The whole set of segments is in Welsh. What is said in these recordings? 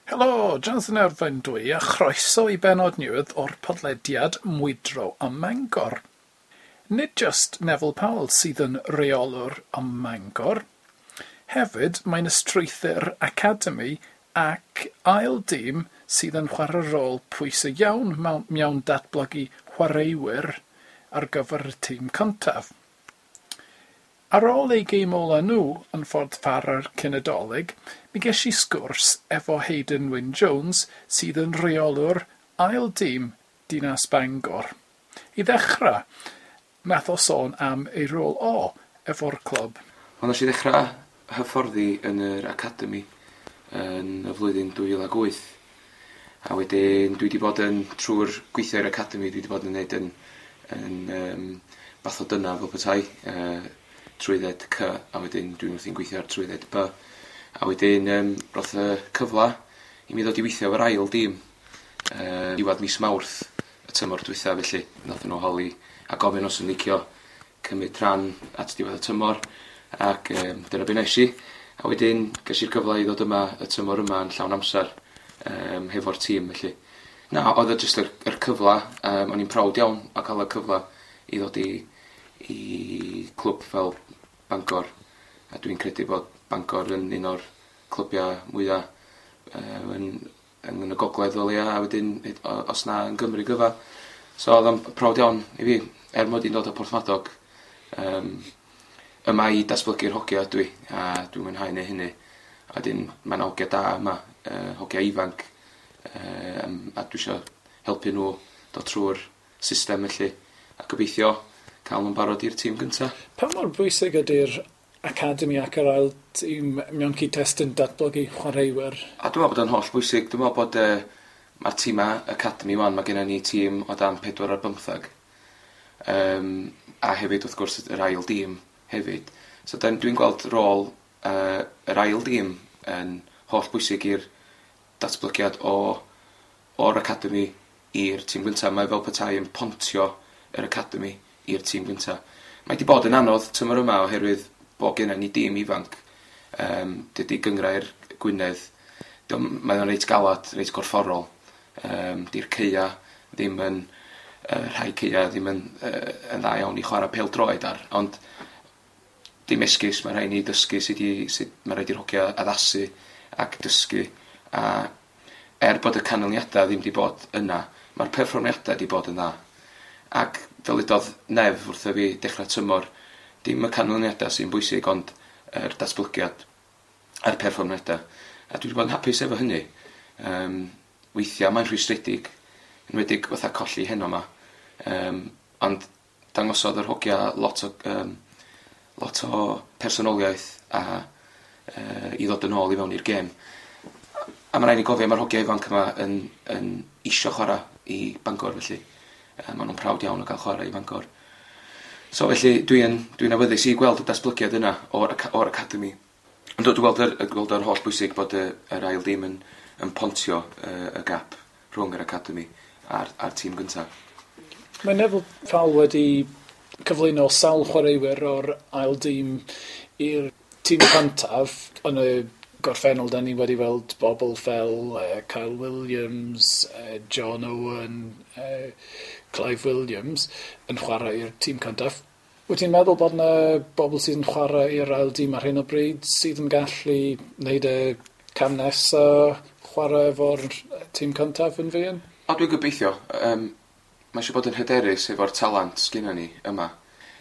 Helo, Jonathan Ervine dwi a chroeso i bennod newydd o'r podlediad Mwydro ym Mangor. Nid jyst Neville Powell sydd yn reolwr ym Mangor. Hefyd, mae'n ystrwythur Academy ac ail dîm sydd yn chwarae rôl pwysig iawn mewn datblygu chwaraewyr ar gyfer y tîm cyntaf. Ar ôl eu gêm ola nhw yn Ffordd Farrar cyn y Dolig, mi ges i sgwrs efo Hayden Wyn Jones sydd yn rheolwr ail dîm Dinas Bangor. I ddechrau, nath o sôn am ei rôl o efo'r clwb. Wel, nes i ddechrau hyfforddi yn yr academy yn y flwyddyn 2008. A wedyn dwi wedi bod yn, trwy'r gweithio i'r academy, dwi wedi bod yn gwneud yn fath o dyna fel petai, trwydded C, a wedyn dwi'n wrthi'n gweithio ar trwydded B. A wedyn roth y cyfle i mi ddod i weithio efo'r ail dîm diwedd mis Mawrth y tymor dwytha, felly nath nhw holi a gofyn os yn licio cymryd rhan at diwedd y tymor, ac dyna be nes i. A wedyn ges i'r cyfle i ddod yma y tymor yma yn llawn amser hefo'r tîm, felly. Na, oedd o jyst yr cyfle, o'n i'n proud iawn o cael y cyfle i ddod i clwb fel Bangor, a dwi'n credu bod Bangor yn un o'r clybiau mwyaf yn y gogledd o leia, a wedyn os na yn Gymru gyfa. So oedd o'n proud iawn i fi, er mod i'n dod o Porthmadog, yma i datblygu'r hogia dwi, a dwi'n mwynhau neu hynny. A wedyn mae'n hogia da yma, hogia ifanc, a dwi isio helpu nhw dod trwy'r system felly, a gobeithio cael nhw'n barod i'r tîm gynta. Pa mor bwysig ydy'r academy ac yr ail tîm mewn cyd-destun datblygu chwaraewyr? A dwi'n meddwl bod o'n holl bwysig. Dwi'n meddwl bod mae'r tîmau academy wan, mae gennym ni tîm o dan 4 ar 15. A hefyd wrth gwrs yr ail dîm hefyd. So dwi'n gweld rôl yr ail dîm yn holl bwysig i'r datblygiad o'r academy i'r tîm gyntaf. Mae fel petai yn pontio yr academy i'r tîm gyntaf. Mae wedi bod yn anodd tymor yma oherwydd bod gennym ni dîm ifanc. Dydy gynghrair Gwynedd, mae o'n reit galad, reit gorfforol. Di'r caea ddim yn, rhai caea ddim yn dda iawn i chwarae pêl-droed ar, ond dim esgus, mae rhaid ni dysgu sut mae rhaid i'r hogia addasu ac dysgu. A er bod y canlyniadau ddim wedi bod yna, mae'r perfformiadau wedi bod yn dda. Ac fel udodd Nef wrtho fi dechrau tymor, dim y canlyniadau sy'n bwysig, ond yr datblygiad a'r perfformiadau. A dwi wedi bod yn hapus efo hynny. Weithiau mae'n rhwystredig, enwedig fatha colli heno yma. Ond dangosodd yr hogia lot o personoliaeth a i ddod yn ôl i fewn i'r gêm. A mae rhaid ni gofio, mae'r hogia ifanc yma yn isio chwarae i Bangor, felly. Maen nhw'n proud iawn o gael chwarae i Bangor. So felly dwi'n awyddus i gweld y datblygiad yna o'r academy. Ond dwi'n gweld yr holl bwysig bod yr ail dîm yn pontio y gap rhwng yr academy a'r tîm gyntaf. Mae Neville Powell wedi cyflwyno sawl chwaraewyr o'r ail dîm i'r tîm cyntaf. Yn y gorffennol, da ni wedi weld bobl fel Kyle Williams, John Owen, Clive Williams yn chwarae i'r tîm cyntaf. Wyt ti'n meddwl bod yna bobl sydd yn chwarae i'r ail dîm ar hyn o bryd sydd yn gallu wneud y cam nesaf chwarae efo'r tîm cyntaf yn fuan? O, dwi'n gobeithio. Mae eisiau bod yn hyderus efo'r talent sgynnon ni yma.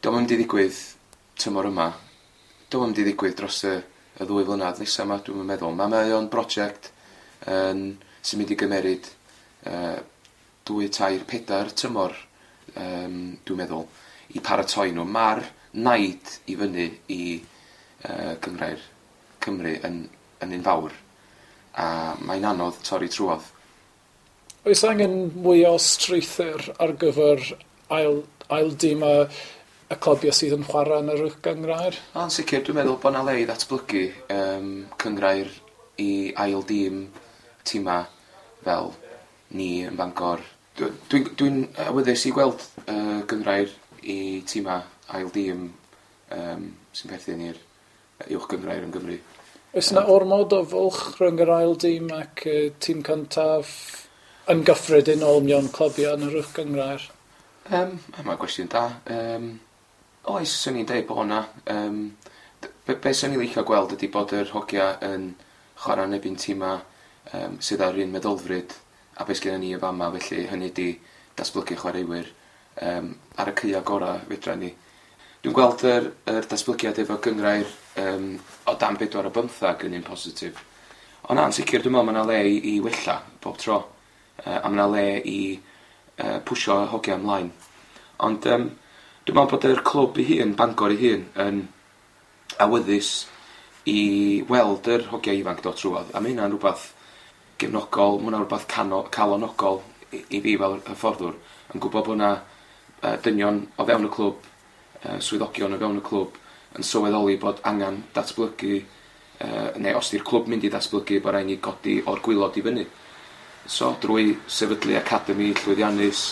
Dio'm yn mynd i ddigwydd tymor yma. Dio'm yn mynd i ddigwydd dros y 2 flynedd nesaf yma, dwi'n meddwl. Mae o'n brosiect sy'n mynd i gymeryd 2, 3, 4 tymor, dwi'n meddwl, i paratoi nhw. Mae'r naid i fyny i Gynghrair Cymru yn un fawr, a mae'n anodd torri trwodd. Oes angen mwy o strwythur ar gyfer ail dîm y clybiau sydd yn chwarae yn yr uwch gynghrair? Yn sicr, dwi'n meddwl bod yna le i ddatblygu cynghrair i ail dîm tîmau fel ni yn Bangor. Dwi'n awyddus i gweld gynghrair i tîmau ail dîm sy'n perthyn i'r uwch gynghrair yn Gymru. Oes yna ormod o fwlch rhwng yr ail dîm ac tîm cyntaf yn gyffredinol mewn clybiau yn yr uwch gynghrair? Mae'n gwestiwn da. Oes, 'swn i'n deud bod 'na. Be 'swn i'n licio gweld ydy bod yr hogia yn chwarae yn erbyn tîma sydd â'r un meddylfryd a beth sgynnon ni yn fama, felly hynny ydy datblygu chwaraewyr ar y caea gorau fedra ni. Dwi'n gweld yr datblygiad efo gynghrair o dan 4 o 15 yn un positif. Ond na, yn sicr dwi'n meddwl mae yna le i wella bob tro. A mae yna le i pwsio hogia ymlaen. Ond dwi'n meddwl bod yr clwb ei hun, Bangor ei hun, yn awyddus i weld yr hogia ifanc dod trwodd. A mae hynna'n rhywbeth gefnogol, mae hwnna'n rhywbeth calonogol i fi fel hyfforddwr, yn gwybod bod yna dynion o fewn y clwb, swyddogion o fewn y clwb yn sylweddoli bod angen datblygu, neu os di'r clwb mynd i ddatblygu, bod rhaid ni godi o'r gwaelod i fyny. So drwy sefydlu academi llwyddiannus,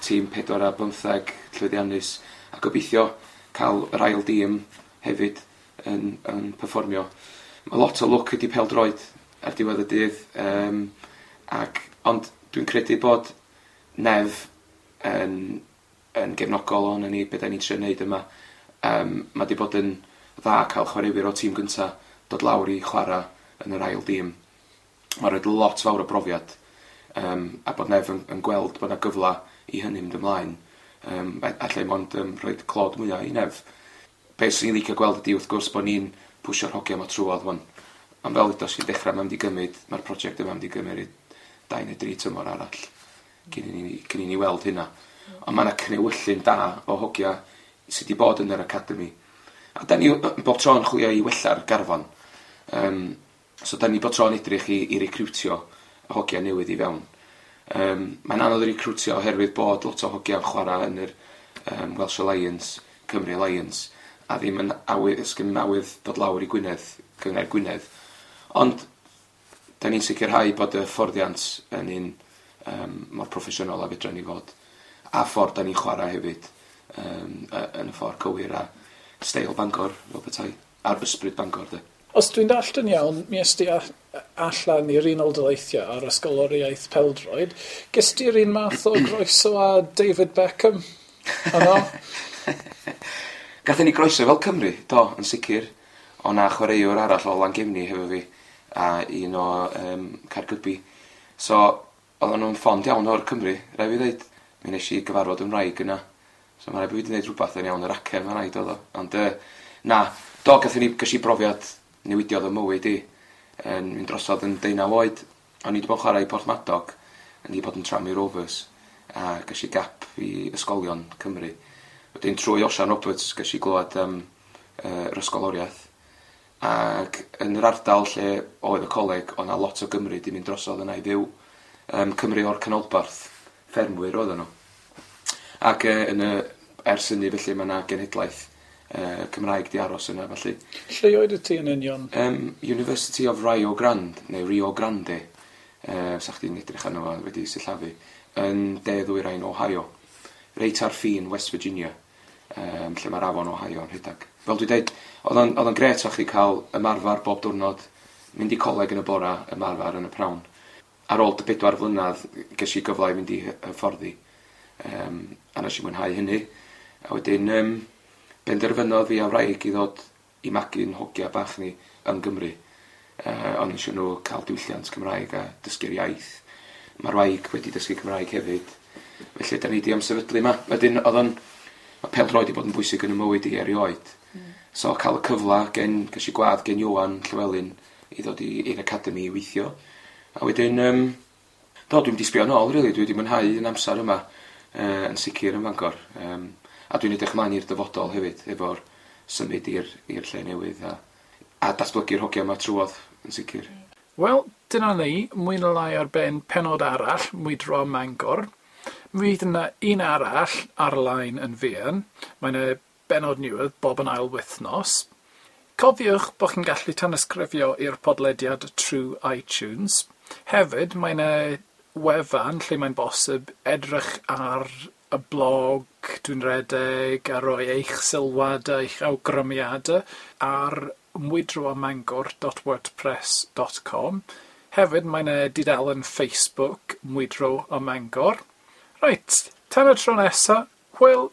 tîm 4 a 15 llwyddiannus, a gobeithio cael yr ail dîm hefyd yn perfformio. Mae lot o lwc ydi pêl-droed ar diwedd y dydd, ond dwi'n credu bod Nef yn gefnogol o'n ni, beth da ni'n trio wneud yma. Mae wedi bod yn dda cael chwaraewyr o tîm gynta dod lawr i chwarae yn yr ail dîm. Mae'n rhoi lot fawr o brofiad, a bod Nef yn gweld bod yna gyfle i hynny mynd ymlaen. Allai mond rhoi clod mwyaf i Nef. Be sy'n ni'n licio gweld ydy wrth gwrs bod ni'n pwsio'r hogia yma trwodd wan. Ond fel ydych chi'n dechrau, mae'n mynd i gymryd, mae'r prosiect yma mynd i gymryd 2 neu 3 tymor arall cyn i ni weld hynna. Ond mae yna cnewyllyn da o hogia sydd wedi bod yn yr academi. A da ni bob tro yn chwilio i wella'r garfan. So da ni bob tro'n edrych i recriwtio hogia newydd i fewn. Mae'n anodd i recriwtio oherwydd bod lot o hogia yn chwarae yn yr Welsh Alliance, Cymru Alliance, a ddim yn awydd, ysgyn awydd dod lawr i Gwynedd, Cynghrair Gwynedd. Ond da ni'n sicrhau bod y fforddiant yn un mor proffesiynol a fedra ni fod. A ffordd da ni'n chwarae hefyd yn y ffordd cywir a steil Bangor, fel petai, a'r ysbryd Bangor, de. Os dwi'n dallt yn iawn, mi est ti allan i'r Unol Daleithiau ar ysgoloriaeth pêl-droed. Ges ti'r un math o groeso â David Beckham yno? Gathon ni groeso fel Cymru, do, yn sicr. O na chwaraewr arall o Langefni hefo fi, a un o Caergybi. So, oedden nhw'n ffond iawn o'r Cymru, rhaid fi ddweud. Mi nes i gyfarfod yn wraig yna. So mae rhaid fi wedi gwneud rhywbeth yn iawn yr acen, mae'n rhaid oedd o. Ond na, do, ges i brofiad newidiodd y mywyd i. Yn mynd drosodd yn 19 oed. O'n i wedi bod yn chwarae i Porthmadog, yn wedi bod yn Tranmere Rovers, a ges i gap i ysgolion Cymru. Wedyn trwy Osian Roberts ges i glywed am yr ysgoloriaeth. Ac yn yr ardal lle oedd y coleg, oedd 'na lot o Gymry 'di mynd drosodd yna i fyw. Cymru o'r canolbarth, ffermwyr oedden nhw. Ac ers hynny felly mae yna genhedlaeth Cymraeg di aros yna felly. Lle oedd ti yn union? University of Rio Grande, neu Rio Grande, sa chdi'n edrych arno fo wedi sillafu, yn de ddwyrain Ohio. Reit ar ffin West Virginia, lle mae'r afon Ohio yn rhedeg. Fel dwi'n dweud, oedd o'n grêt o chdi cael ymarfer bob diwrnod, mynd i coleg yn y bora, ymarfer yn y prawn. Ar ôl dy 4 flynedd, ges i gyfle i fynd i hyfforddi, a nes i mwynhau hynny. A wedyn, benderfynodd fi a wraig i ddod i magu'n hogia bach ni yn Gymru. Ond eisiau nhw cael diwylliant Cymraeg a dysgu'r iaith. Mae'r wraig wedi dysgu Cymraeg hefyd. Felly, da ni di ymsefydlu yma. Wedyn, mae pêl-droed wedi bod yn bwysig yn y mywyd i erioed. So, cael y cyfle, ges i gwadd gen Iwan Llywelyn i ddod i'r academi i weithio. A wedyn, do, dwi'n di sbio nôl, really. Dwi wedi mwynhau yn amser yma, yn sicr yn Fangor. A dwi'n edrych ymlaen i'r dyfodol hefyd, efo'r symud i'r lle newydd a datblygu'r hogia yma trwodd, yn sicr. Wel, dyna ni, mwy neu lai ar ben pennod arall, Mwydro Mangor. Mi fydd yna un arall ar-lein yn fuan. Mae yna bennod newydd bob yn ail wythnos. Cofiwch bod chi'n gallu tanysgrifio i'r podlediad trwy iTunes. Hefyd, mae yna wefan lle mae'n bosib edrych ar y blog dwi'n redeg a rhoi eich sylwadau, eich awgrymiadau ar mwydroymangor.wordpress.com. Hefyd mae 'na dudalen Facebook Mwydro ym Mangor. Reit, tan y tro nesa, hwyl!